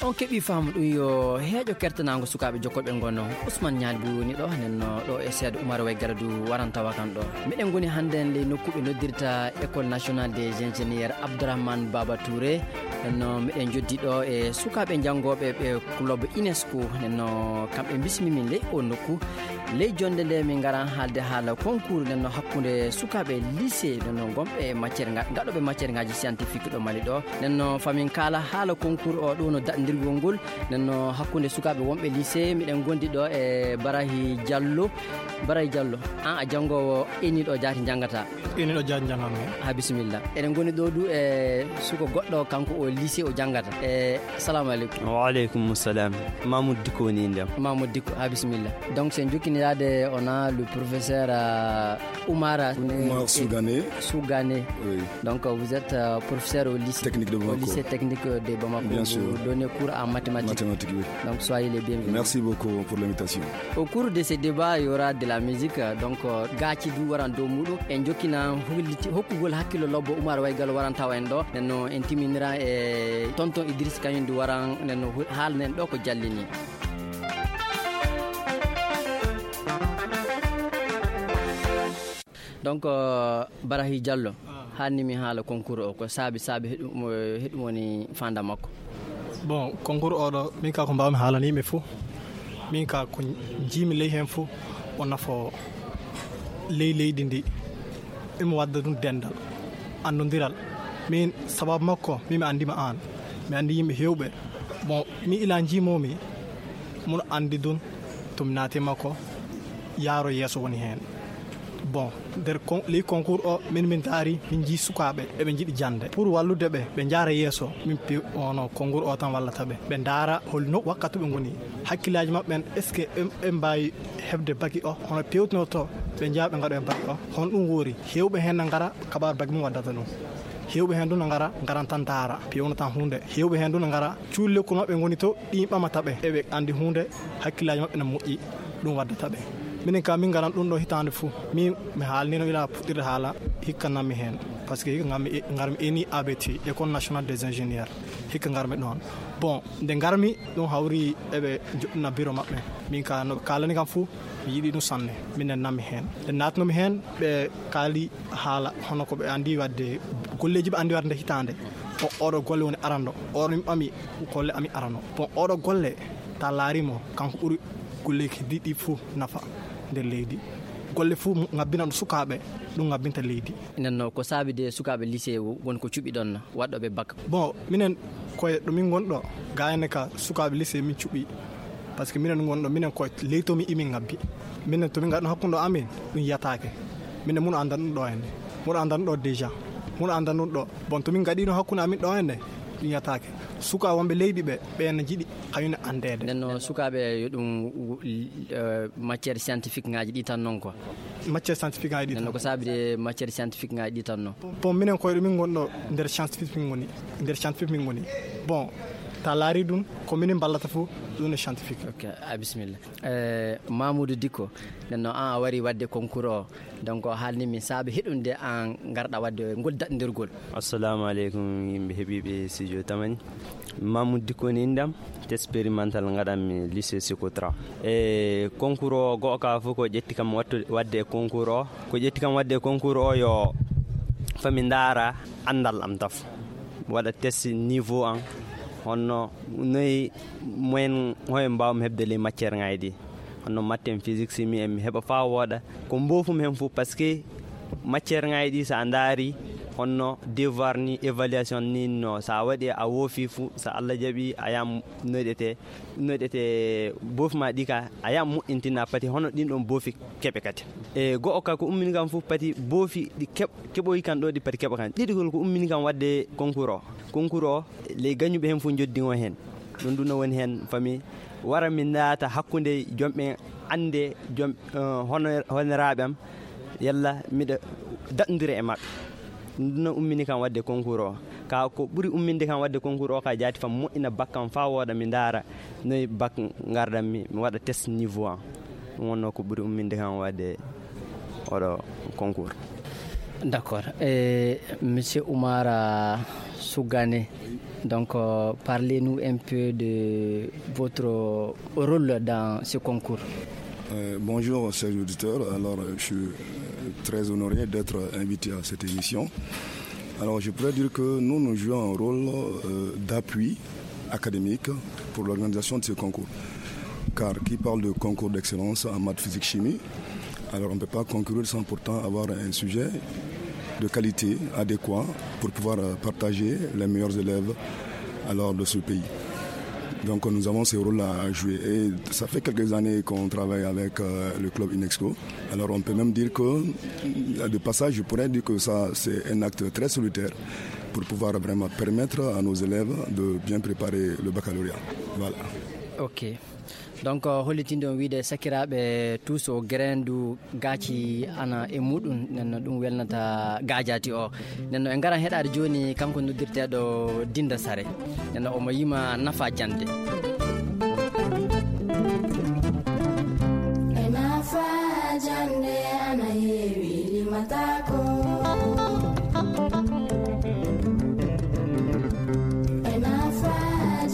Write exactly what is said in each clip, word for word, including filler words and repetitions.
On keɓii faamu ɗum yo heeƴo kertanaango sukaaɓe jokkoɓe ngono. Ousmane Ñaali Buy woni ɗo, nden no ɗo e seeɗa Umar Way Garadu waran tawa kan ɗo. Miɗen ngoni hannden ley nokku ɓe noddirta École Nationale des Ingénieurs Abdourahmane Baba Touré. Nden no miɗen joddi ɗo e sukaaɓe janngooɓe ɓe club UNESCO. Nden no kamɓe mbismi min ley o nokku. Ley jonnde nde min ngaran haalde haala concours nden no hakkunde sukaaɓe lycée nden no gonɓe matière nga-, gaɗoɓe matière ngaji scientifique ɗo Mali ɗo. Nden no famin kaala haala concours o ɗo no daɗndirgol ngol. Nden no hakkunde sukaaɓe wonɓe lycée miɗen gondi ɗo e Barahi Diallo. Barahi Diallo, an a janngowo eni ɗo jaati janngata? Eni ɗo jaati janngami. Ha bisimilla. Eɗen ngoni ɗo du e suko goɗɗo kanko o lycée o janngata. E assalamu aleykum. Wa aleykum salam. Mamoud Dikko woni indam. Mamoud Dikko, ha bisimilla. Donc sen jokkini yaade on a le professeur euh, Oumar Oumar Sougane. Sougane. Oui. Donc euh, vous êtes euh, professeur au lycée Technique de au Bamako. Lycée technique de Bamako. Bien sûr. Vous donnez cours en mathématiques. Mathématiques, oui. Donc soyez les bienvenus. Merci beaucoup pour l'invitation. Au cours de ce débat, il y aura de la musique. Donc euh, gaaci du waran dow muɗum en jokkina holliti hokkugol hakkillo lobbo Oumar Waygal waran tawa en ɗo. Nden no en timinira e tonton Idriss kañum du waran nden no haalnen ɗo ko jallini. Donc euh, Barahi Diallo, hanni mi haala concours o ko saabi saabi heɗum heɗum woni fanda makko. Bon, concours oɗo min ka ko mbawmi haalani yimɓe fo, min ka ko jiimi ley hen fo o nafo ley leydi ndi. Imo wadda ɗum dendal annodiral. Min sababu makko min mi andima an, mi andi yimɓe hewɓe. Bon, mi ila jiimomi mun andi ɗum to mi naati makko yaaro yeeso woni hen. Bon, nder kon- ley concours o min min daari min jii sukaaɓe eɓe jiɗi jande pour wallude ɓe ɓe jaara yeeso. Min pi ono concours o tan wallata ɓe ɓe daara holno wakkati ɓe ngoni, hakkillaji maɓɓe en est ce que ɓe mbawi heɓde baki o hono pewtinoto ɓe jeeya ɓe gaɗo e baki o hono ɗum woori. Hewɓe hen na gara kabaru baki mum waddata ɗum. Hewɓe hen ɗum na gara garan tan daara pewno tan hunde. Hewɓe hen ɗum na gara cuulle ko maɓɓe ngoni to ɗin ɓamata ɓe eɓe andi hunde. Hakkillaji maɓɓe na moƴƴi ɗum waddata ɓe. Minen ka min ngaran ɗum ɗo hitande fou min mi haalnino ila puɗɗirde haala hikka nammi hen. Par ce que hikka ngarmi ngarmi eni A B T, École Nationale des Ingénieurs. Hikka ngarmi ɗon. Bon, nde ngarmi ɗum hawri eɓe joɗɗina bureau maɓɓe. Min ka noɓe kalani kam fou mi yiɗi ɗum sanne. Minen nammi hen nde natnomi hen ɓe kaali haala hono ko ɓe andi wadde golleji ɓe andi wadde nde hitande. O oɗo golle woni arando oɗo min ɓami golle ami arano. Bon, oɗo golle ta laarimo kanko ɓuri golleji ɗi ɗi fou nafa nder leydi. Golle fou ngabbina ɗum sukaɓe ɗum ngabbinta leydi. Nden no ko saabi de sukaɓe lycée woni ko cuɓi ɗon waɗɗoɓe bak? Bon, minen koye ɗo min gonɗo gayne ka sukaɓe lycée min cuɓi. Par ce que minen ɗum gonɗo minen koye leytomi imin ngabbi. Minen tomin gaɗno hakkude amin ɗum yiyatake. Minen mun andan ɗum ɗo henne mun andan ɗo déjà mun andan ɗum ɗo. Bon, tomin gaɗino hakkude amin ɗo henne ɗum yiyatake. Suka wonɓe leydi ɓe ɓen jiɗi hayune andede. Nden no sukaɓe yo ɗum matière scientifique ngaji ɗi tan non quoi? Matière scientifique ngaji ɗi tan. Ko saabi de matière scientifique ngaji ɗi tan non? Bon, minen koye ɗo min gonɗo nder scientifique min goni. Nder scientifique min goni. Bon, ta laari ɗum ko minen ballata fof ɗum no scientifique. Ok, a bisimilla. Eh, Mamoudou Dicko, nden no an a wari wadde concours o. Donc o haalni min saabe heɗunde an ngarɗa wadde ngol daɗndirgol. Assalamu aleykum yimɓe heɓiiɓe studio Tamani. Mamoudou Dicko ni indam, expérimental ngaɗanmi lycée Secotra. E concours o go'o ka fof ko ƴetti kam wattu- wadde e concours o. Ko ƴetti kam wadde e concours o yo fami ndaara anndal am taf. Waɗa test niveau am, honno noy moyen hoye mbawmi heɓde ley matière ngaji ɗi. Honno maths en, physique, chimie en mi heɓa fa wooɗa. Ko mbofumi hen fof parce que matière ngaji ɗi so a ndaari honno devoir ni, évaluation ni no, so a waɗi a woofi fof, so Allah jaɓi a yam noyɗete noyɗete boofi ma ɗi ka a yam moƴƴintina pati hono ɗin ɗon boofi keɓe kadi. E go'o ka ko ummini kam fof pati boofi ɗi keɓ- keɓoyi kan ɗo ɗi pati keɓa kan. Ɗiɗigol ko ummini kam wadde concours o. Concours o ley gañuɓe hen fof joddi o hen. Ɗum ɗum no woni hen fami wara mi naata hakkunde jomɓe annde jom hono honoraaɓe am yalla miɗa daɗndira e maɓɓe. Ɗum ɗum no ummini kam wadde concours o. Ka ko ɓuri umminde kam wadde concours o ka jaati fam moƴƴina bac kam fa wooɗa mi ndaara noy bac ngardanmi mi waɗa test niveau am. Ɗum wonno ko ɓuri umminde kam wadde oɗo concours. D'accord. Et Monsieur Oumar, euh, Sougané, donc, euh, parlez-nous un peu de votre rôle dans ce concours. Euh, bonjour, chers auditeurs. Alors, euh, je suis euh, très honoré d'être invité à cette émission. Alors, je pourrais dire que nous, nous jouons un rôle euh, d'appui académique pour l'organisation de ce concours. Car qui parle de concours d'excellence en maths, physique, chimie, alors on ne peut pas concourir sans pourtant avoir un sujet de qualité adéquat pour pouvoir euh, partager les meilleurs élèves alors de ce pays. Donc nous avons ce rôle-là à jouer. Et ça fait quelques années qu'on travaille avec euh, le club UNESCO. Alors on peut même dire que, de passage, je pourrais dire que ça, c'est un acte très solitaire pour pouvoir vraiment permettre à nos élèves de bien préparer le baccalauréat. Voilà. Ok. Donc, euh, hollitinde on wiide sakiraaɓe tous o grendu gaaci ana e muɗum, nenno ɗum welnata gaajaati o. Nenno e ngaran heɗaade jooni kanko noddirteeɗo Dinda Sare. Nenno omo yima nafa jannde. E nafa jannde ana heewi limataako. E nafa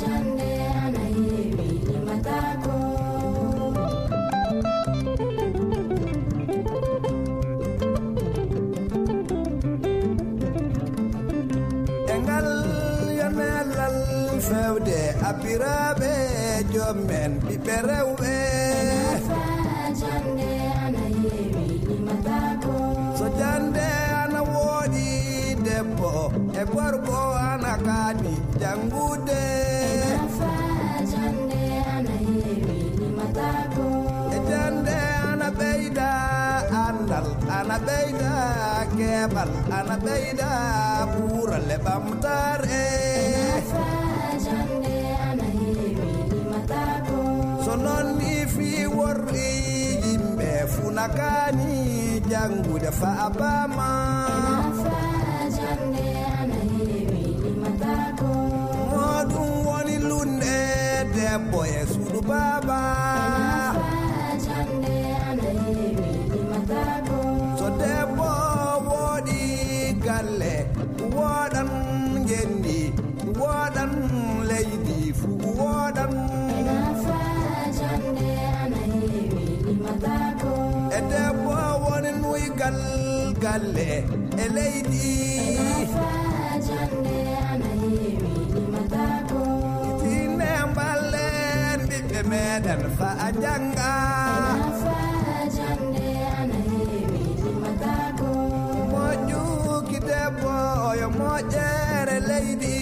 jannde ana heewi limataako. E ngal yonelal fewde abbiraaɓe joom men ɓiɓɓe rewɓe. Nafa jannde ana heewi limataako. So jannde ana wooɗi debbo e gorko ana kaani janngude. Nafa jannde ana heewi limataako. E jannde ana ɓeyda anndal, ana ɓeyda keɓal, ana ɓeyda ɓuural e ɓamtaare. Nafa jannde ana heewi limataako. So noon ni fii worri yimɓe funa kaani janngude fa a paama. Nafa jannde ana heewi limataako. Mo ɗum woni lunɗe debbo e suudu baaba. Nafa jannde ana heewi limataako. So debbo wooɗi galle, wooɗan ngenndi, wooɗan leydi fuu wooɗan. Nafa jannde ana heewi limataako. E debbo woni nuygal galle e leydi. Nafa jannde ana heewi limataako. Tinne mballen ɓiɓɓe meɗen fa a jannga. Nafa jannde ana heewi limataako. Moƴƴuki debbo yo moƴƴere leydi.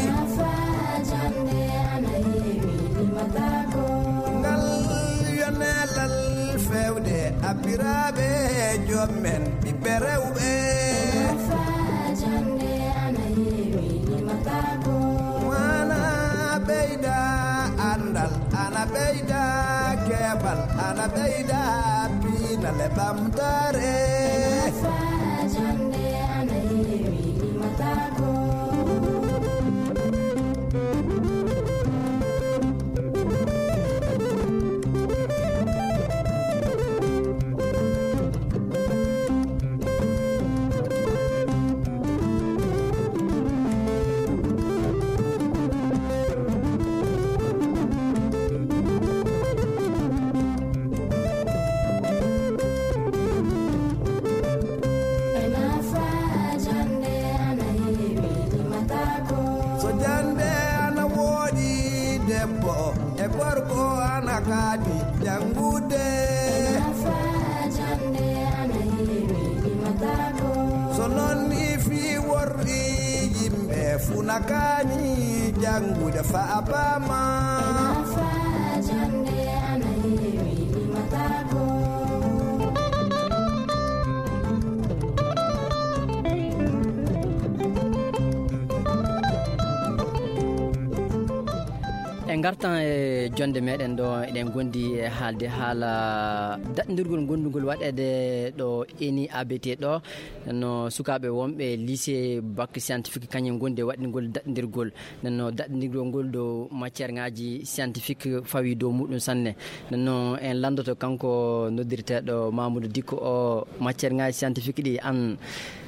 Nafa jannde ana heewi limataako. Ngal yonelal fewde abbiraaɓe joom men ɓiɓɓe rewɓe. Nafa jannde ana heewi limataako. Mana ɓeyda anndal, ana ɓeyda keɓal, ana ɓeyda pinal e ɓamtaare. Nafa jannde ana heewi limataako. E nafa jannde ana heewi limataako. So jannde ana wooɗi debbo e gorko ana kaadi janngude. E nafa jannde ana heewi limataako. So noon ni fii worri yimɓe funa kaani janngude fa a paama. E nafa jannde ana heewi limataako. En ngartan e jonde meɗen ɗo, eɗen gondi e haalde haala daɗndirgol gondugol waɗeede ɗo eni A B T ɗo. No sukaaɓe wonɓe lycée bac scientifique kañum gondi e waɗndigol daɗndirgol. Nden no daɗndirgol ngol ɗo matière ngaji scientifique fawi dow muɗum sanne. Nden no en landoto kanko noddirteeɗo Mamoudou Dicko o, matière ngaji scientifique ɗi an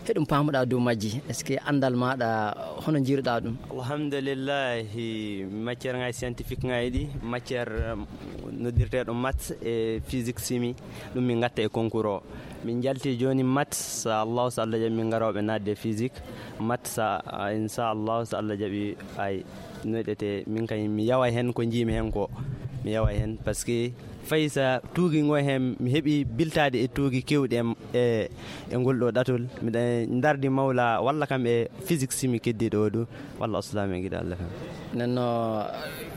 heɗum paamuɗa dow majji, est ce que anndal maɗa hono jiiruɗa ɗum? Alhamdulillahi, matière ngaji scientifique ngaji ɗi, matière um, noddirteeɗo maths e physique chimie, ɗum min gatta e concours o. Min jalti jooni maths, sa Allahu, sa Allah jaɓi min garoɓe naatde e physique. Maths sa, a, inchallahu, sa Allah jaɓi, ay, noyɗete, min kay mi yawa hen ko jiimi hen ko. Mi yawa hen parce que fay sa tuugi ngo hen, mi heɓi biltaade e tuugi kewɗi e, e, e ngol ɗo ɗatol. Miɗa dardi mawla walla kam e physique chimie keddiɗo o ɗo, walla aslami e giɗo Allah kam. Nden no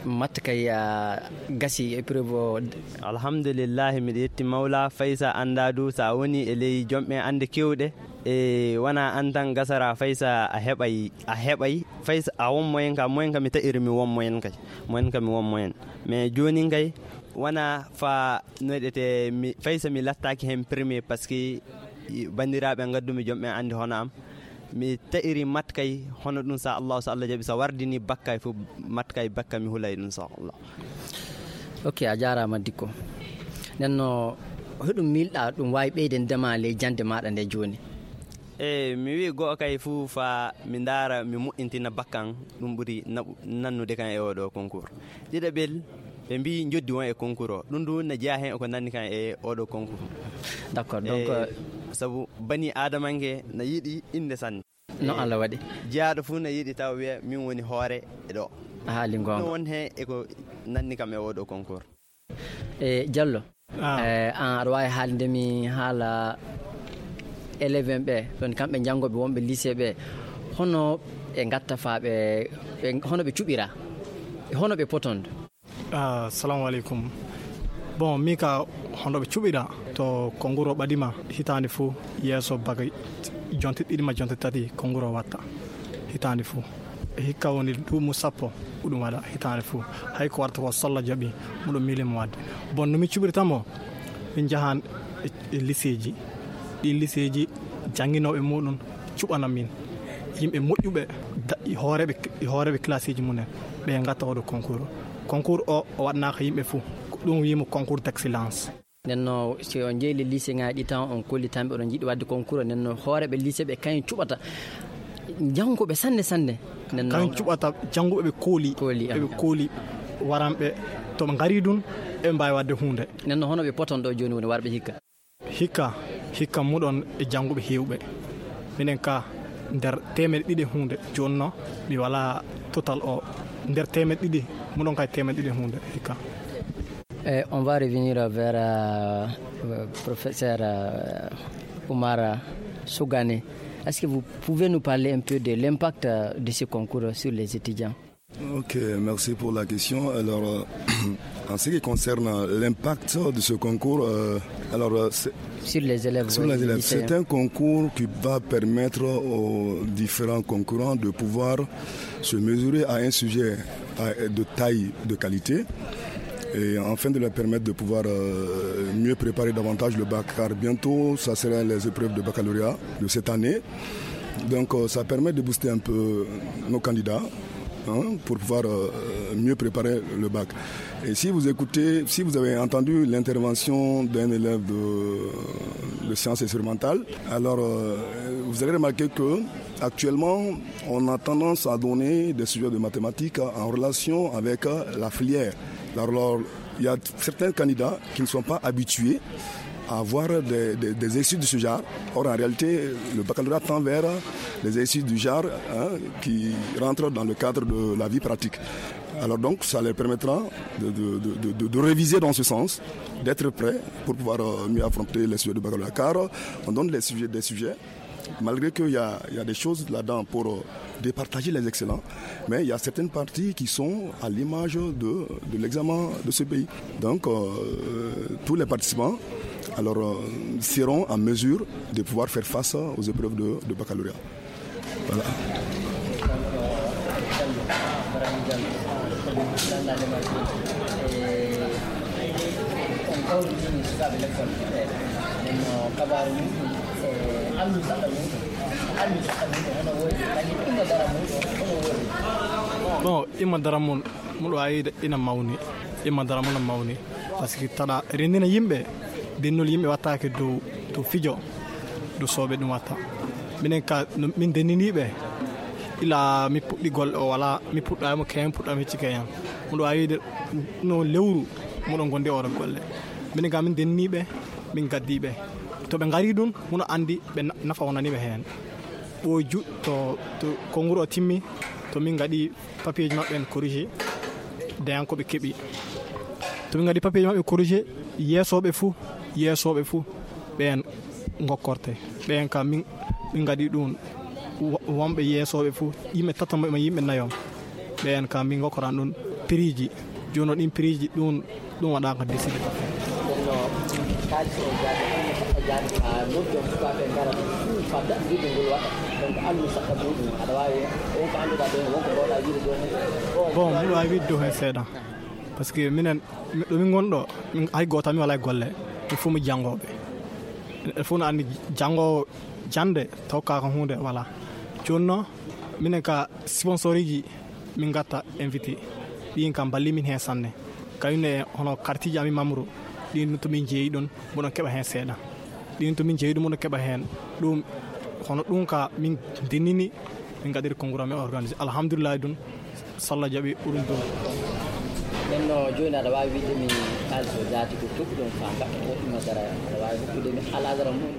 maths kay a gasi épreuve o? Alhamdulillahi, miɗa yetti mawla. Fay sa annda du, sa woni e ley jomɓe annde kewɗe, e wona an tan gasara, fay sa a heɓay, a heɓay, fay sa a won moyen ka, moyen ka mi taƴiri mi won moyen kay, moyen ka mi won moyen. Mais jooni kay wona fa noyɗete mi, fay sa mi lattaaki hen premier parce que banndiraaɓe ngaddumi jomɓe annde hono am. Mi taƴiri maths kay, hono ɗum, sa Allah, sa Allah jaɓi, sa wardini bac kay fof, maths kay, bac kay mi hulay ɗum, sa Allah. Ok, a jaaraama Dicko. Nden no, hoɗum miilɗa ɗum waawi ɓeyden dema ley jannde maɗa nde jooni? E mi wi go'o kay fof, fa mi ndaara, mi moƴƴintina bac kan, ɗum ɓuri naɓu-, nannude kan e oɗo concours. Ɗiɗaɓel, ɓe mbi joddi won e concours o. Ɗum du na jeyaa hen e ko nanni kan e oɗo concours. D'accord, donc, e, euh, sabu bani aadamanke na yiɗi innde sanne. No, e, Allah waɗi. Jeyaaɗo fof na yiɗi taw wiya min woni hoore e ɗo. A haali goonga. No won hen e ko nanni kam e oɗo concours. E, Diallo, ah, e, an aɗa waawi haalde mi haala élève en ɓe, ɗon kamɓe janngoɓe wonɓe lycée ɓe, hono ɓe ngatta fa ɓe, ɓe, hono ɓe cuɓira, hono ɓe potondo? Ah, salamu aleykum. Bon, mi ka hono ɓe cuɓira to concours o ɓadima hitaande fof yeeso bac jonte ɗiɗi ma jonte tati concours o watta hitaande fof. E hikka woni duumu sappo ko ɗum waɗa hitaande fof. Hay ko warta ko so Allah jaɓi, muɗo miili mo waɗde. Bon, no mi cuɓirta mo, min njahan e, e lycée ji. Ɗin lycée ji jannginooɓe muɗum cuɓana min yimɓe moƴƴuɓe, da-, e hooreeɓe, e hooreeɓe classe ji mumen, ɓe ngatta oɗo concours. Concours o, o waɗanaaka yimɓe fof. Ko ɗum wiyimo concours d'excellence. Nden no, si on jeyi le lycée ngaji ɗi tan, on kolli tan ɓe oɗon jiɗi waɗde concours, nden no hooreeɓe lycée ɓe kañum cuɓata jannguɓe sanne sanne. Nden no kañum cuɓata jannguɓe ɓe kooli, kooli, ɓe ah, kooli waranɓe to ɓe ngari ɗum, eɓe mbaawi waɗde huunde. Nden no hono ɓe poton ɗo jooni woni warɓe hikka? Hikka, hikka muɗon e jannguɓe heewɓe. Minen ka nder teemedde ɗiɗi e huunde, jooni no mi wala total o, nder teemedde ɗiɗi, muɗon kay teemedde ɗiɗi e huunde, hikka. Eh, on va revenir vers, euh, euh, professeur, euh, Oumar Sougane. Est-ce que vous pouvez nous parler un peu de l'impact, euh, de ce concours sur les étudiants? Ok, merci pour la question. Alors, euh, en ce qui concerne l'impact de ce concours, euh, alors, euh, c'est, sur les élèves, sur oui, les élèves, lycéens, c'est un concours qui va permettre aux différents concurrents de pouvoir se mesurer à un sujet, à, de taille, de qualité, et afin de leur permettre de pouvoir, euh, mieux préparer davantage le bac, car bientôt, ça sera les épreuves de baccalauréat de cette année. Donc, euh, ça permet de booster un peu nos candidats, hein, pour pouvoir, euh, mieux préparer le bac. Et si vous écoutez, si vous avez entendu l'intervention d'un élève de, de sciences expérimentales, alors, euh, vous allez remarquer que actuellement, on a tendance à donner des sujets de mathématiques en relation avec, euh, la filière. Alors, il y a certains candidats qui ne sont pas habitués à avoir des, des, des études de ce genre. Or, en réalité, le baccalauréat tend vers des études du genre, hein, qui rentrent dans le cadre de la vie pratique. Alors donc, ça leur permettra de, de, de, de, de réviser dans ce sens, d'être prêts pour pouvoir, euh, mieux affronter les sujets du baccalauréat. Car on donne les sujets, des sujets, malgré qu'il y a, il y a des choses là-dedans pour, euh, départager les excellents, mais il y a certaines parties qui sont à l'image de, de l'examen de ce pays. Donc, euh, tous les participants, alors, euh, seront en mesure de pouvoir faire face aux épreuves de, de baccalauréat. Voilà. Nanndaade ma, e, on kawrintini sukaaɓe lekkol, e, nden no kabaaru mum, e, almi saɗa mum, almi saɗa mum, hono woori, kañum imma dara mum, hono woori. Bon, imma dara mum, muɗo ayida ina mawni, imma dara mum no mawni, parce que taɗa renndina yimɓe, dennol yimɓe wattaake dow, dow fijo, dow sooɓe ɗum watta. Minen ka, no, min denniniiɓe, ila mi puɗɗi golle o wala, mi puɗɗaama keyen, puɗɗaama hecci keyen. Muɗo ayida no lewru, muɗo gondi oɗo golle. Minen ka min denniniiɓe, min gaddiiɓe. To ɓe ngari ɗum, muɗo anndi ɓe na-, nafa wonani ɓe heen. Ɓooju to, to konnguru o timmi, to min ngaɗi papiyeeji maɓɓe en corrigé, dayan ko ɓe keɓi. To min ngaɗi papiyeeji maɓɓe corrigé, yeesooɓe fuu, yeesooɓe fuu, ɓeen ngokkorte. Ɓeen ka min, min ngaɗi ɗum, wo-, wonɓe yeesooɓe fuu, yimɓe tato ma yimɓe nayo. Ɓeen ka min ngokkoran ɗum piriiji. Jooni o ɗin piriiji ɗum, ɗum waɗaaka décidé. Ɗum no kaalis o jaade, o jaade ka noddi on sukaaɓe ngara ɗum fuu fadda, mbiɗo ngol waɗa. Donc, almi saɗa muɗum, aɗa waawi, on ko annduɗaa ɗo, won ko mbawɗaa wiide ɗo heen. Bon, mbiɗo waawi wiide ɗo heen seeɗa. Parce que minen, mi-, ɗo min ngon ɗo, min, hay gooto mi walaa e golle. Min fof mi janngooɓe. E fof no anndi janngoowo jannde, taw ka ko huunde walaa. Jooni noon, minen ka sponsoriji min ngatta invité. Ɗin kam mballi min heen sanne. Kayum ne hono kartiji amin Mamru, ɗin to min jeeyi ɗon, mboɗon keɓa heen seeɗa. Ɗin to min jeeyi ɗum, mboɗon keɓa heen. Ɗum, hono ɗum ka min dennini, min ngaɗiri konnguru amin organisé. Alhamdulillahi ɗum, so Allah jaɓi, ɗum ɗum. Nden no jooni aɗa waawi wiide mi kaalis o jaati ko toɓi ɗon faa mbaɗa ko ɗum a dara, aɗa waawi hokkude mi alaa dara mum?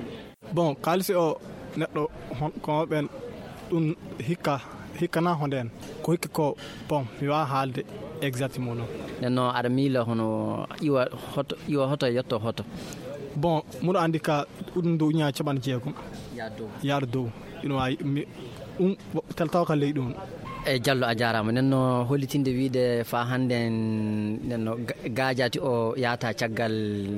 Bon, kaalisi o neɗɗo hon-, ko ɓen ɗum hikka, hikkana honden. Ko hikki ko, bon, mi waawaa haalde exact mum non. Nden noon, aɗa miila hono iwa hoto, iwa hoto e yetto hoto? Bon, muɗo anndi ka ɗum dow ujunnaaje capanɗe jeegom. Yaa dow. Yaade dow. Ina waawi, mi, ɗum, wo-, tel tawa ka ley ɗum. E Jallo, a jaaraama. Nden no hollitinde wiide faa hannde en, nden no ga-, gaajati o yaata caggal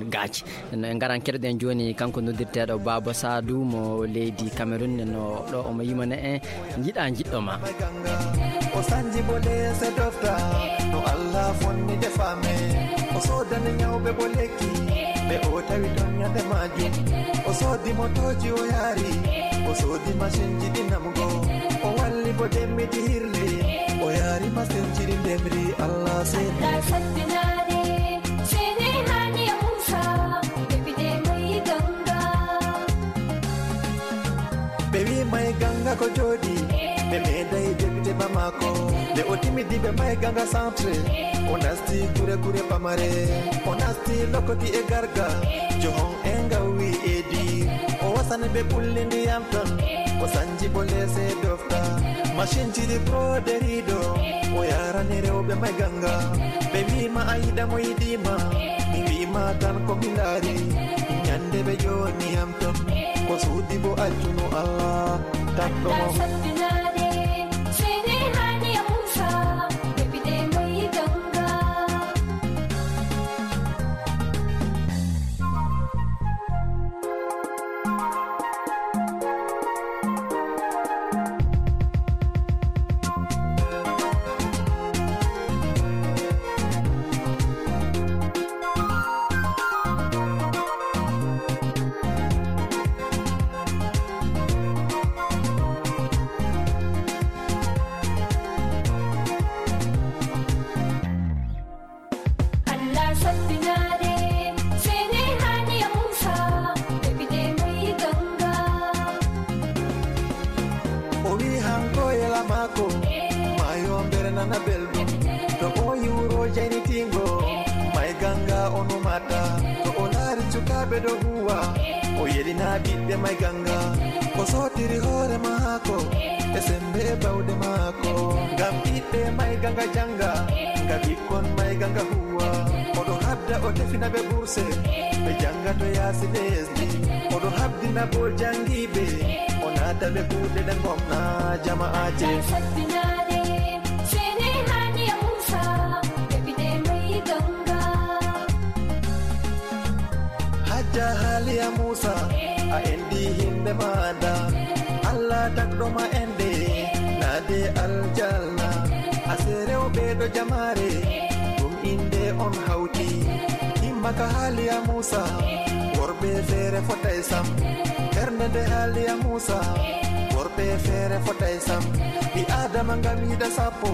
gaaci. Nden no en ngaran keɗoɗen jooni kanko noddirteeɗo Baaba Saadu mo leydi Cameroun. Nden no ɗo omo yimana en njiɗa njiɗɗo ma. O sanji bo leese dofta, no Allah fonni defaame. O soodani nyawɓe bo lekki, ɓe o tawi ton nyande majum. O soodi motooji o yaari, o soodi masinji ɗi namugo. O walli bo demmiti hirle, o yaari masinji ɗi ndemri Allah seeni. Allah sattinaade, seeni haani e Muusa, depite mai ganga. Ɓe wi mai ganga ko jooɗi, ɓe meeɗay depite ba maako. Nde o timidi ɓe mai ganga centre, o nasti gure gure pamare, o nasti lokoti e garga, johon e ngawi e di. O wasani ɓe ɓulli ndiyam ton, o sanji bo leese dofta. Masinji ɗi broderiɗo, o yarani rewɓe mai ganga. Ɓe wi ma a yiɗa mo yiɗi ma, mi wi ma tan ko mi laari. Nyande ɓe joni yam ton, ko suudi bo accuno Allah, takko mo. Allah sattinaade, seeni haani e Muusa, depite mai ganga. Allah sattinaade, seeni haani e Muusa, depite mai ganga. O wi hanko yela maako, maayo mbere nana belɗum. To o yiwro jaynitingo, mai ganga o numata. To o laari sukaaɓe ɗo huwa, o yelina ɓiɓɓe mai ganga. O sootiri hoore maako, e sembe e bawɗe maako. Ngam ɓiɓɓe mai ganga janga, ngam ɓikkon mai ganga huwa. Oɗo habda o tefina ɓe burse, ɓe janga to yaasi lesdi. Oɗo habdina bo jangiiɓe, o naata ɓe kuuɗe ɗe gomna jama'aaje. Sattinaade, seeni haani e Muusa, depite mai ganga. Hajja Haaliya Muusa, a endi himɓe maada. Allah tagɗo ma ende, naade aljanna. Se rewɓe ɗo jamaare, ɗum innde on hawti. Himma ka haaliya Muusa, worɓe feere fotay sam. Ɓernde nde haaliya Muusa, worɓe feere fotay sam. Ɓi Aadama ngam yiɗa sappo,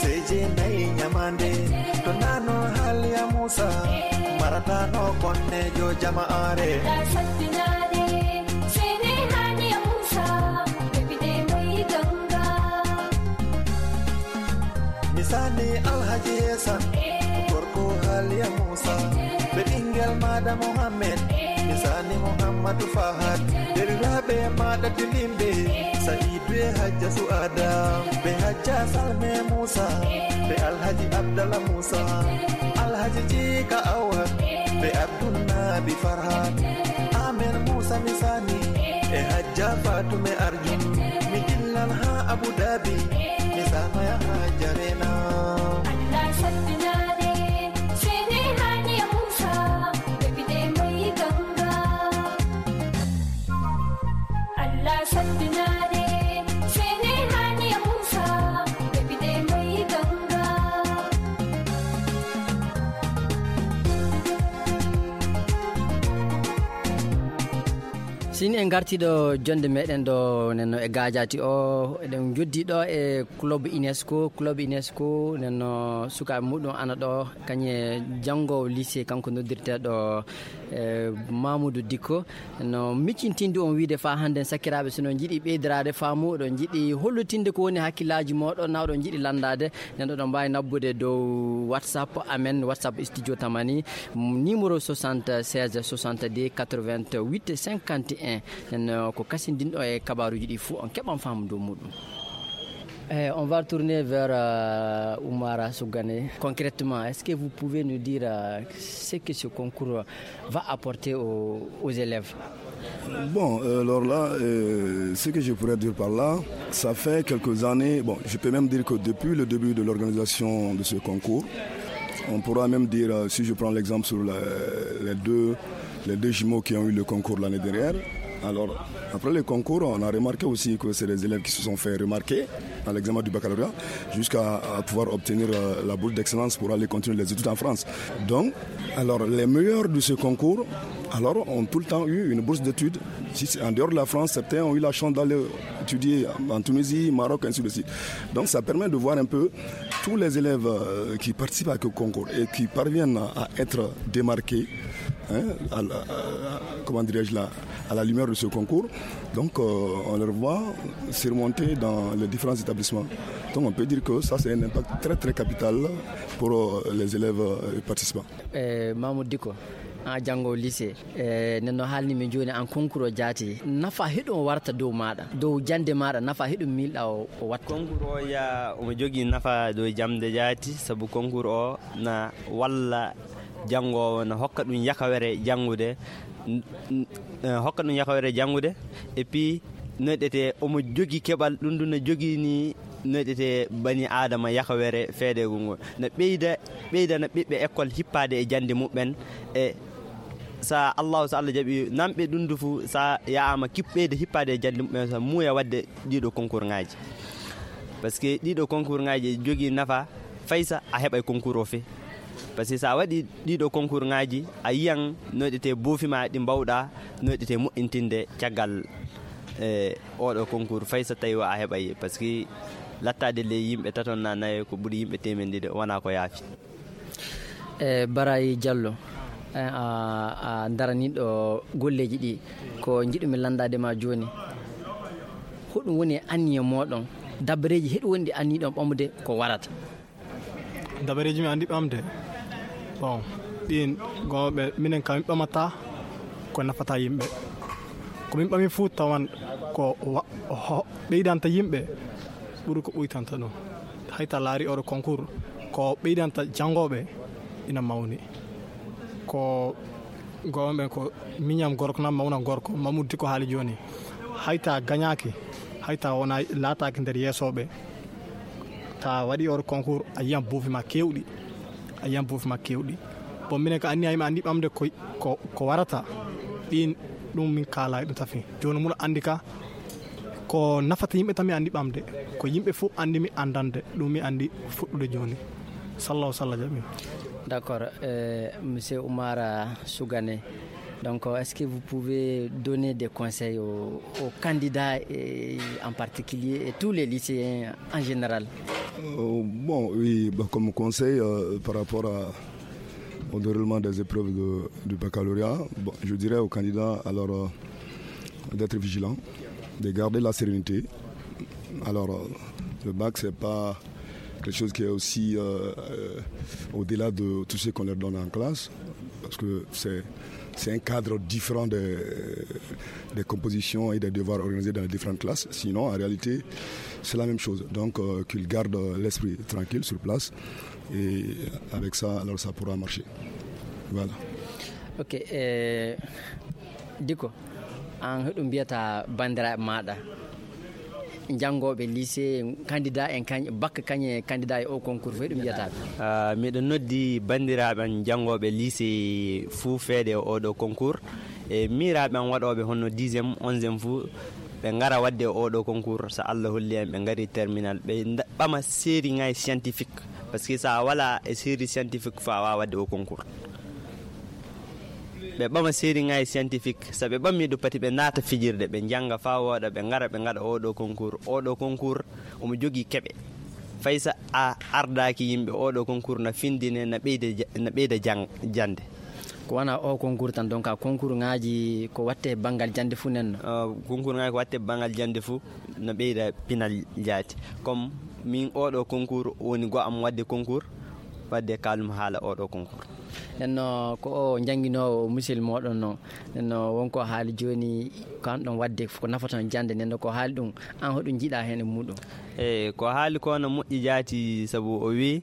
sey jeenayi ñamaande. To nano haaliya Muusa, maratano konnejo jamaare. Ɗa sattinaade, sene haaliya Muusa, ɓe ɓiɗe mbayi ganga. Misani Alhaji Hesan, gorko Haliya Musa, ɓe ɓingel Mada Mohammed. Misani Muhammadu Fahad, deriraɓe Mada Tilimbe, Sa'idu e Hajja Su'ada, ɓe Hajja Salme Musa, ɓe Alhaji Abdallah Musa, Alhaji Jika Awa, ɓe Abdul Nabi Farhat, Amen Musa Misani, e Hajja Fatume Arjun, mi dillan ha Abu Dhabi, mi sanoya ha Jarena. Allah sabbinare, sene Haniya Musa, ɓe ɓiɗe mai ganga. Allah sabbinare, sene Haniya Musa, ɓe ɓiɗe mai ganga. Sini en garti ɗo jonde meɗen ɗo nenno e gajati o, eɗen joddi ɗo e club UNESCO. Club UNESCO nenno sukaɓe muɗum ana ɗo, kañe janngo lycée, kanko noddirteɗo e Mamoudou Dicko. No miccintinde on wiide fa hannde, sakiraaɓe, so no jiɗi ɓeydoraade faamu, oɗon jiɗi hollitinde ko woni hakkillaaji mooɗon, na oɗon jiɗi lanndaade, nden oɗon mbaawi nabbude dow WhatsApp amen, WhatsApp Studio Tamani, numéro soixante-seize soixante-deux quatre-vingt-huit cinquante et un. Nden, uh, ko kasindinɗo e kabaaruuji ɗi fuu, on keɓan faamu dow muɗum. Eh, on va tourner vers, euh, Oumara Sougane. Concrètement, est-ce que vous pouvez nous dire, euh, ce que ce concours va apporter aux, aux élèves ? Bon, euh, alors là, euh, ce que je pourrais dire par là, ça fait quelques années, bon, je peux même dire que depuis le début de l'organisation de ce concours, on pourra même dire, euh, si je prends l'exemple sur la- les deux, les deux jumeaux qui ont eu le concours l'année dernière, alors, après le concours, on a remarqué aussi que c'est des élèves qui se sont fait remarquer à l'examen du baccalauréat, jusqu'à à pouvoir obtenir, euh, la bourse d'excellence pour aller continuer les études en France. Donc, alors, les meilleurs de ce concours, alors, ont tout le temps eu une bourse d'études. Si c'est en dehors de la France, certains ont eu la chance d'aller étudier en Tunisie, Maroc, ainsi de suite. Donc, ça permet de voir un peu tous les élèves, euh, qui participent à ce concours et qui parviennent à être démarqués, hein, à la- à- comment dirais-je là, à la lumière de ce concours. Donc, euh, on les voit surmonter dans les différents établissements. Donc, on peut dire que ça, c'est un impact très, très capital pour, euh, les élèves, euh, participants. Eh, Mamoudou Dicko, an janngo lycée, eh, nden no haalni min jooni, an concours o jaati. Nafa heɗum o warta dow maaɗa, dow jannde maaɗa, nafa heɗum miilɗa o, o watta? Concours o ya omo jogii nafa dow jannde jaati, sabu concours o na walla janngoowo, na hokka ɗum yakawere janngude, n- n- eh, hokka ɗum yakawere janngude. Et puis, noyɗete omo jogi keɓal, ɗum ɗum no jogii ni, noyɗete bani aadama yakawere feedeego ngol, no ɓeyda ɓeydana ɓiɓɓe école hippaade e jannde muɓɓen. E sa allahu, so allah jaɓi nanɓe ɗum du fu, sa yaama kip ɓeyda hippaade e jannde muɓɓen, sa muuya waɗde ɗiɗo concours ŋaaji. Parce que ɗiɗo concours ŋaaji e jogii nafa, faysa a heɓay concours o fe. Parce que sa waɗi ɗiɗo concours ŋaaji, a yiyan noyɗete boofi ma ɗi mbawɗa noyɗete moƴƴintinde caggal e oɗo concours, faysa tawi o a heɓay. Parce que lattaade ley yimɓe taton na nayo ko ɓuri yimɓe temen ɗiɗo, wona ko yaafi. E Barayi Diallo, e, a, a daraniɗo golleeji ɗi, ko jiɗumi lanndaade ma jooni, hoɗum woni e anniya mooɗon? Dabareeji heɗi wonɗi anniɗon ɓamude ko warata? Dabareeji mi anndi ɓamde, bon, ɗin gooɓe, minen kam min ɓamata ko nafata yimɓe. Ko min ɓami fuu tawan ko wa- ho- ɓeydanta yimɓe ɓuri ko ɓuytanta ɗum. Hay ta laari oɗo concours, ko ɓeydanta janngooɓe ina mawni. Ko gooɓe ɓen ko miñam gorko na mawnam gorko, Mamoudou Dicko haali jooni. Hay ta gañaaki, hay ta wona laataaki nder yeesooɓe, ta waɗi oɗo concours, a yiyan boofi ma keewɗi, a yiyan boofi ma keewɗi. Bon, minen ka anniya yimɓe anndi ɓamde ko, ko, ko warata, ɗin ɗum min kaala e ɗum tafi. Jooni mula anndi ka, Ko nafata yimɓe tan mi anndi ɓamde. Ko yimɓe fof anndi mi anndande. Ɗum mi anndi fuɗɗude jooni. Sallah o sallah jaɓi. D'accord, euh, monsieur Oumar Sougane. Donc, est-ce que vous pouvez donner des conseils aux, aux candidats et en particulier et tous les lycéens en général? Euh, bon, oui, bah, comme conseil, euh, par rapport à, au déroulement des épreuves de- du baccalauréat, bon, je dirais aux candidats, alors, euh, d'être vigilants, de garder la sérénité. Alors, euh, le bac, c'est pas quelque chose qui est aussi, euh, euh, au-delà de tout ce qu'on leur donne en classe, parce que c'est, c'est un cadre différent des, des compositions et des devoirs organisés dans les différentes classes. Sinon, en réalité, c'est la même chose. Donc, euh, qu'ils gardent l'esprit tranquille sur place. Et avec ça, alors, ça pourra marcher. Voilà. Ok, eh, Diko, an hoɗum mbiyata banndiraaɓe maaɗa? Janngooɓe lycée, candidat en, kañ, bac kañ e candidat e o concours, fof ɗum mbiyata ɓe? Ah, miɗo noddi banndiraaɓe am janngooɓe lycée fuu feede e oɗo concours. E miiraaɓe am waɗooɓe hono dixième, onzième fuu, ɓe ngara waɗde e oɗo concours. So Allah holli en, ɓe ngari terminal, ɓe nda- ɓama série ngaji scientifique. Parce que so a wala e série scientifique, faa a waawa waɗde o concours. Ɓe ɓama série ngaji scientifique, so ɓe ɓammi ɗum, pati ɓe naata fijirde, ɓe njannga faa wooɗa, ɓe ngara, ɓe ngaɗa oɗo concours. Oɗo concours, omo jogii keɓe. Fay so a ardaaki yimɓe, oɗo concours na findine, na ɓeyda ja- na ɓeyda jang- jannde. Ko wona o concours tan, donc, a concours ngaji ko watte banngal jannde fuu nen? Ah, concours ngaji ko watte banngal jannde fuu, na ɓeyda pinal jaati. Comme min, oɗo concours woni go am waɗde concours, waɗde kaalum haala oɗo concours. Nenno ko o jannginoowo musil moɗon no, nenno wonko haali jooni, ko an ɗon waɗde ko nafata on jannde, nenno ko haali ɗum, an hoɗum njiɗa heen e muɗum? E ko haali ko no moƴƴi jaati, sabu o wi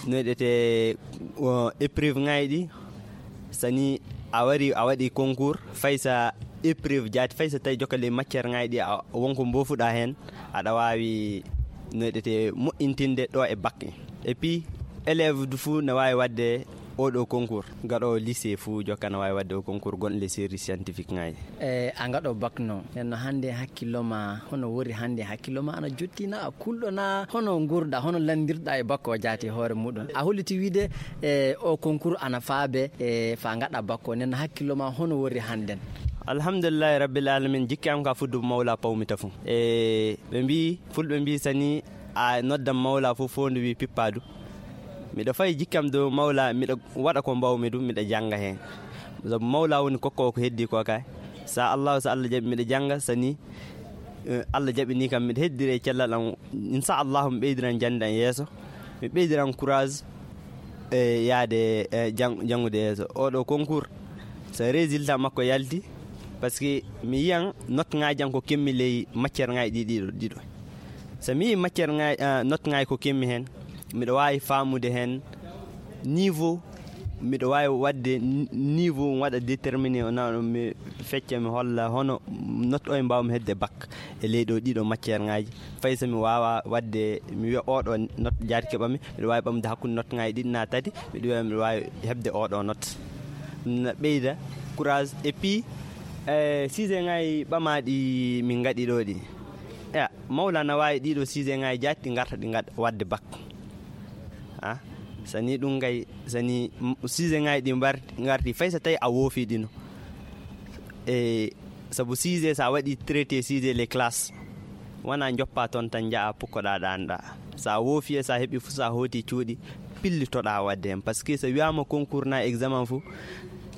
no yiɗete, o, épreuve ngaji ɗi, so ni a wari a waɗi concours, fay sa épreuve jaati, fay so tawi jokkale matière ngaji ɗi a wonko mbofuɗa heen, aɗa waawi no yiɗete moƴƴintinde ɗo e bac. Et puis, élève du fuu ne waawi waɗde oɗo concours. Gaɗo lycée fuu jokka ne waawi waɗde o concours gonɗo les séries scientifiques ngaji. E a gaɗo bac no, nenno hannde hakkillo ma, hono wori hannde hakkillo ma ana jottina, a kulɗo na, hono ngurɗa, hono landirɗa e bac o jaati hoore muɗum? A holliti wiide, e o concours ana faabe, e fa gaɗa bac o, nenno hakkillo ma hono wori hannden? Alhamdulillahi Rabbil Alamin, jikki am ka fuddu mawla pawmi tafu. E ɓe mbi, fulɓe mbi, sani a noddan mawla fof, fof ndu wi pippadu. Miɗo fayi jikkam dow mawla, miɗo waɗa ko mbawmi ɗum, miɗo jannga heen. Sabu mawla woni kokko ko heddi ko kay. Sa Allahu, sa Allah jaɓi, miɗo jannga, sani, eh, Allah jaɓini kam, miɗo heddire e cellal am. Insa Allahu, mi ɓeydiran jannde am yeeso. Mi ɓeydiran courage, eh, yaade, eh, jang-, janngude yeeso. Oɗo concours, so résultat makko yalti, parce que mi yiyan note ngaji am ko kemmi ley matière ngaji ɗi ɗiɗo, ɗiɗo. So mi yii matière ngaji, ah, note ngaji ko kemmi heen, miɗo waawi faamude heen niveau, miɗo waawi waɗde n-, niveau, mi waɗa déterminé, o na mi fecca, mi holla hono note o e mbaawmi hedde bac e ley ɗo ɗiɗo matière ngaji. Fay so mi waawa waɗde, mi wiya oɗo note jaati keɓami, miɗo waawi ɓamde hakkunde note ngaji ɗiɗi na tati, miɗo wiya miɗo waawi heɓde oɗo note. Na ɓeyda courage. Et puis, eh, sujet ngaji ɓamaaɗi min ngaɗi ɗo ɗi. Ya, Mawlana waawi ɗiɗo sujet ngaji jaati ɗi ngarta ɗi ngaɗ-, waɗde bac. Ah, sani ɗum kay, sani m-, sujet ngaji ɗi mbar-, ngarti, fay so tawi a woofi ɗino. E sabu sujet, sa waɗi traité sujet les classes, wona joppa toon tan njaha pukkoɗa ɗanɗa. Sa woofi e sa heɓi fof, sa hooti cuuɗi, pillitoɗa waɗde heen. Parce que so wiyaama concours na examen fof,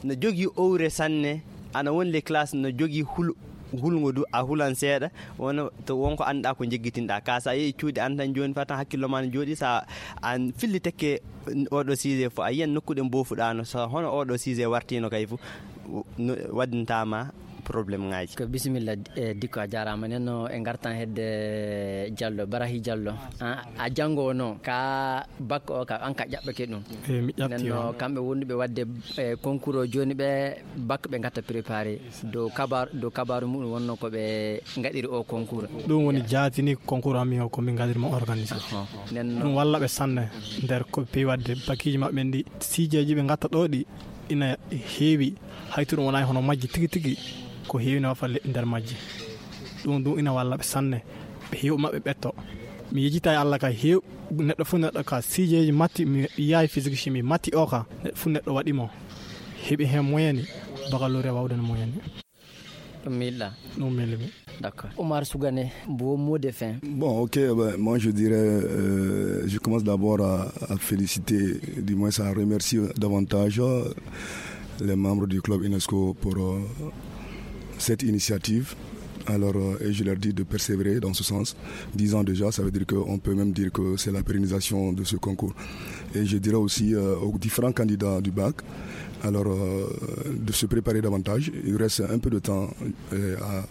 no jogii owre sanne, ana won les classes no jogii hul-, hulngo du, a hulan seeɗa, wona to wonko annduɗa ko jeggitinɗa. Ka sa yehi cuuɗi an tan jooni, fatan hakkillo ma no jooɗi, sa an filli tekke oɗo sujet fof, a yiyan nokkuɗe mbofuɗano, so hono oɗo sujet wartino kay fof, no waddintama problème ngaji. Ko bisimilla, eh, Dikko, a jarama. Nen no e gartan hedde Diallo, Barahi Diallo. A, a janngo no ka bac o ka, an ka ƴaɓɓake ɗum. Eh, mi ƴaɓti. Nen no on. Kamɓe wonduɓe wadde, eh, concours o jooni, ɓe bac ɓe gatta préparé. Dow kabar-, dow kabaru muɗum wonno ko ɓe gaɗiri o concours. Ɗum woni jaatini concours ami o ko min gaɗiri mo organisé. Ahon. Nen no ɗum walla ɓe sanne nder ko ɓe wadde bakiji maɓɓe ndi. Siijeji ɓe gatta ɗo ɗi ina heewi, hay to ɗum wonaa hono majji tigi tigi, ko heewi no falle nder majji. Ɗum ɗum ina walla ɓe sanne, ɓe heew maɓɓe ɓetto. Mi yejita e Allah ka heew. Neɗɗo fof neɗɗo ka sijeeji matti, mi yahay physique chimie matti o ka neɗɗo fof neɗɗo waɗi mo, heɓi heen moyeni. Baccalauréat wawden moyeni. Ɗum miilɗa? Ɗum miilimi. D'accord. Oumar Sougane, vos mots de fin. Bon, ok, ben, moi je dirais, euh, je commence d'abord à, à féliciter, du moins à remercier davantage, euh, les membres du club UNESCO pour, euh, cette initiative. Alors, euh, et je leur dis de persévérer dans ce sens. Dix ans déjà, ça veut dire qu'on peut même dire que c'est la pérennisation de ce concours. Et je dirais aussi, euh, aux différents candidats du bac, alors, euh, de se préparer davantage. Il reste un peu de temps, euh, à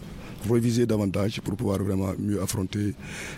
réviser davantage pour pouvoir vraiment mieux affronter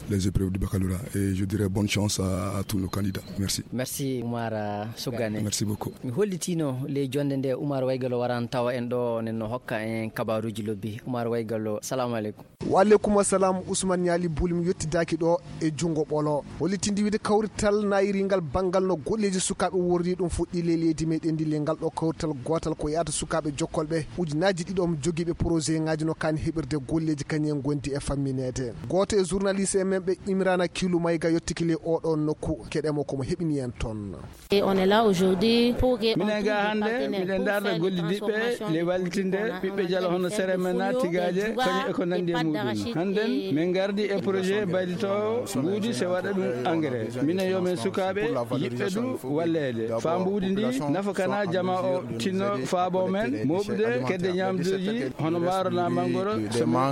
les épreuves du baccalauréat. Et je dirais bonne chance à, à tous nos candidats. Merci. Merci, Oumar, euh, Sougane. Merci beaucoup. Mi hollitino ley jonde nde Oumar Waygalo waran tawa en ɗo, nen no hokka en kabaruji lobbi. Oumar Waygalo, salamu aleykum. Wa aleykum assalam, Ousmane Niali Bouli, mi yettidaaki ɗo e junngo ɓolo. Hollitinde wiide kawrital nayiringal banngal no golleeji sukaaɓe worri ɗum fuɗɗi ley leydi meɗen ndi, ley ngal ɗo kawrital gootal ko yahata sukaaɓe jokkolɓe ujunaaji ɗiɗo jogiiɓe projet ŋaaji no kaani heɓirde golleeji kañum en ngondi e fammineede. Gooto e journaliste en men ɓe Imrana Kilu Mayga yottiki ley oɗo nokku, keɗe mo ko mo heɓini en toon. Et on est là aujourd'hui pour que on minen trouve ga des hannde partenaires miɗen pour ndarda faire les gollidiɓɓe transformations ley wallitinde ɓiɓɓe jalo hono seremena tigaaje kañum e ko nanndi e muɗum. Hannden min ngardi e projet baylitoowo mbuudi se waɗa ɗum engrais. Minen yo min sukaaɓe yiɓɓe du walleede faa mbuudi ndi nafa kana jama o tinno faabo men moɓude kedde ñaamduuji hono maaro na manngoro.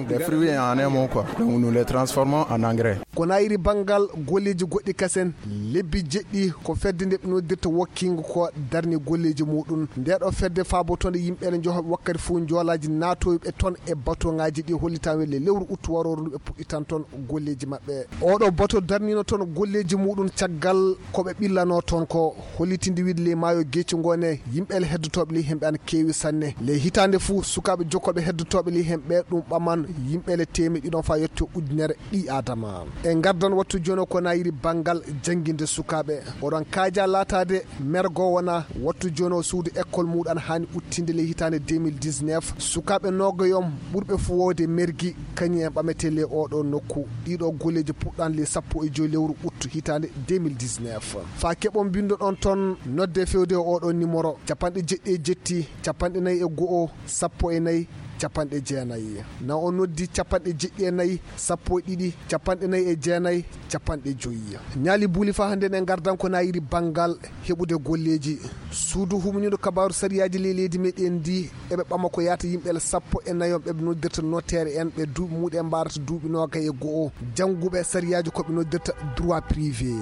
Des fruits en amont quoi. Donc nous les transformons en engrais. Ko nayri banngal golleeji goɗɗi kasen, lebbi jeɗɗi ko fedde nde ɓe noddirta Working ko darni golleeji muɗum. Nde ɗo fedde faabotonde yimɓe ne njoha wakkati fof njoolaaji naatoyɓe toon e batoŋaaji ɗi hollitaama le lewru uttu warooru ndu ɓe puɗɗitan toon golleeji maɓɓe. Oɗo bato darnino toon golleeji muɗum caggal ko ɓe ɓillano toon ko hollitinde wiide ley maayo Geeci ngo ne yimɓe le heddotooɓe ley hemɓe ana keewi sanne. Ley hitaande fuu sukaaɓe jokkoɓe heddotooɓe ley hemɓe ɗum ɓaman yimɓe le teemeɗɗi ɗon faa yetto ujunere ɓii Aadama. E ngardan wattu jooni o ko nayiri banngal jannginde sukaaɓe. Oɗon kaaja laataade mergo wona wattu jooni o suudu école muɗum haani uttinde ley hitaande deux mille dix-neuf. Sukaaɓe noogayom ɓurɓe fuu woowde mergi kañum en ɓametee ley oɗo nokku. Ɗiɗo golleeji puɗɗan ley sappo e joy lewru ut hitaande deux mille dix-neuf. Faa keɓon mbinndoɗon toon nodde fewde e oɗo numéro capanɗe jeɗɗi e jetti, capanɗe nayi e go'o, sappo e nayi, capanɗe jeenayi. Na o noddi capanɗe jeɗɗi e nayi, sappo e ɗiɗi, capanɗe nayi e jeenayi, capanɗe joyi. Ñaali buuli faa hannde ne ngardan ko nayiri banngal heɓude golleeji. Suudu humniiɗo kabaaru sariyaaji ley leydi meɗen ndi eɓe ɓama ko yaata yimɓe sappo e nayi on ɓe ɓe noddirta notaire en ɓe duuɓi muɗum en mbarata duuɓi noogay e go'o. Jannguɓe sariyaaji ko ɓe noddirta droit privé.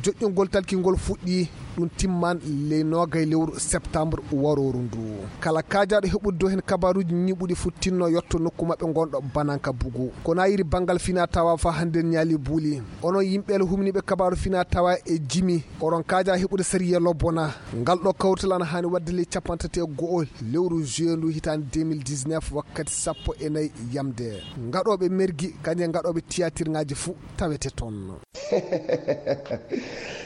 Joƴƴingol talkingol fuɗɗi ɗum timman ley noogay lewru septembre warooru ndu. Kala kaajaaɗo heɓude dow heen kabaaruuji ñiiɓuɗi fu tinno yotto nokku maɓɓe ngonɗo bananka bugu. Ko nayiri banngal fina tawa faa hannde ñaali buuli. Onon yimɓe le humniiɓe kabaaru fina tawa e jimi, oɗon kaaja heɓude sariya lobbona. Ngal ɗo kawrital ana haani waɗde ley capanɗe tati e go'o lewru juillet ndu hitaande deux mille dix-neuf wakkati sappo e nayi yamde. Ngaɗooɓe mergi kañum e ngaɗooɓe tiyaatirŋaaji fuu tawete toon.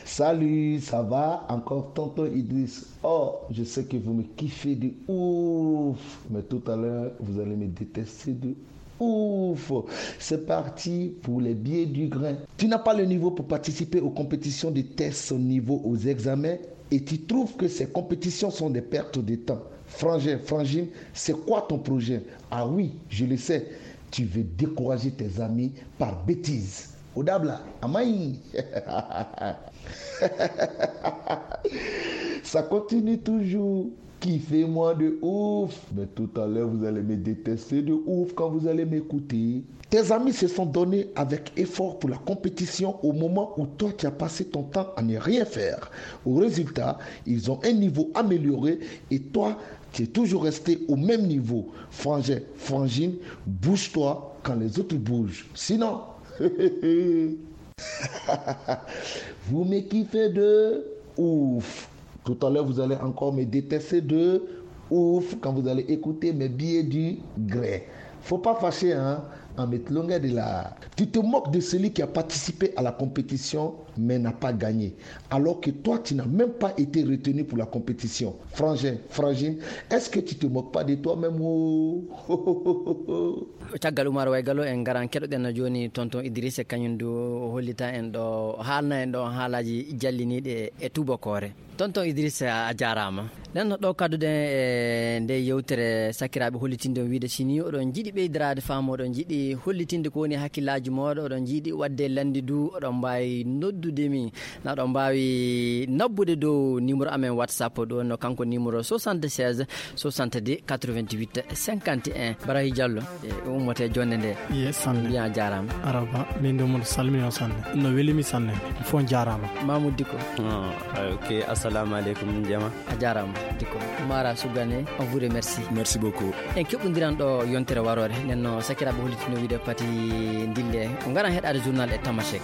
Salut, ça va? Encore tonton Idriss. Oh, je sais que vous me kiffez de ouf, mais tout à l'heure, vous allez me détester de ouf. C'est parti pour les billets du grain. Tu n'as pas le niveau pour participer aux compétitions de tests au niveau aux examens et tu trouves que ces compétitions sont des pertes de temps. Frangin, Frangine, c'est quoi ton projet? Ah oui, je le sais. Tu veux décourager tes amis par bêtise. Au dabla, amai. Ça continue toujours. Kiffez-moi de ouf. Mais tout à l'heure, vous allez me détester de ouf quand vous allez m'écouter. Tes amis se sont donnés avec effort pour la compétition au moment où toi, tu as passé ton temps à ne rien faire. Au résultat, ils ont un niveau amélioré et toi, tu es toujours resté au même niveau. Frangin, Frangine, bouge-toi quand les autres bougent. Sinon, vous me kiffez de ouf. Tout à l'heure, vous allez encore me détester de ouf quand vous allez écouter mes billets du grain. Faut pas fâcher, hein, en mettre longueur de la. Tu te moques de celui qui a participé à la compétition mais n'a pas gagné. Alors que toi, tu n'as même pas été retenu pour la compétition. Frangin, frangine, est-ce que tu te moques pas de toi-même? Oh. Caggal Umar Waygalo, en ngaran keɗoɗen jooni tonton Idrissa, kañum du o hollita en ɗo, haalna en ɗo haalaaji jalliniiɗi e tubakoore. Tonton Idrissa, a jaaraama. Nden no ɗo kadduɗen e nde yewtere, sakiraaɓe, hollitinde on wiide, si ni oɗon njiɗi ɓeydiraade faamu, oɗon njiɗi hollitinde ko woni hakkillaaji mooɗon, oɗon njiɗi waɗde landi du, oɗon mbaawi noddude mi. Na ɗon mbaawi nabbude dow numéro amen WhatsApp, ɗo no kanko numéro soixante-seize soixante-dix quatre-vingt-huit cinquante et un. Barahi Diallo, e ummote jonde nde. Ye sanne. Mbiya jaaraama. Araba, min ɗo mon salmini on sanne. No welimi sanne. Fof jaaraama. Mamoud Diko. Ah, ok, assalamu alaikum, jama. A jaaraama, Diko. Mara Sugane, on vous remercie. Merci beaucoup. En keɓondiran ɗo yontere waroore. Nden no sakiraaɓe hollitino wiide pati ndille. O ngaran heɗaade journal e Tamashek.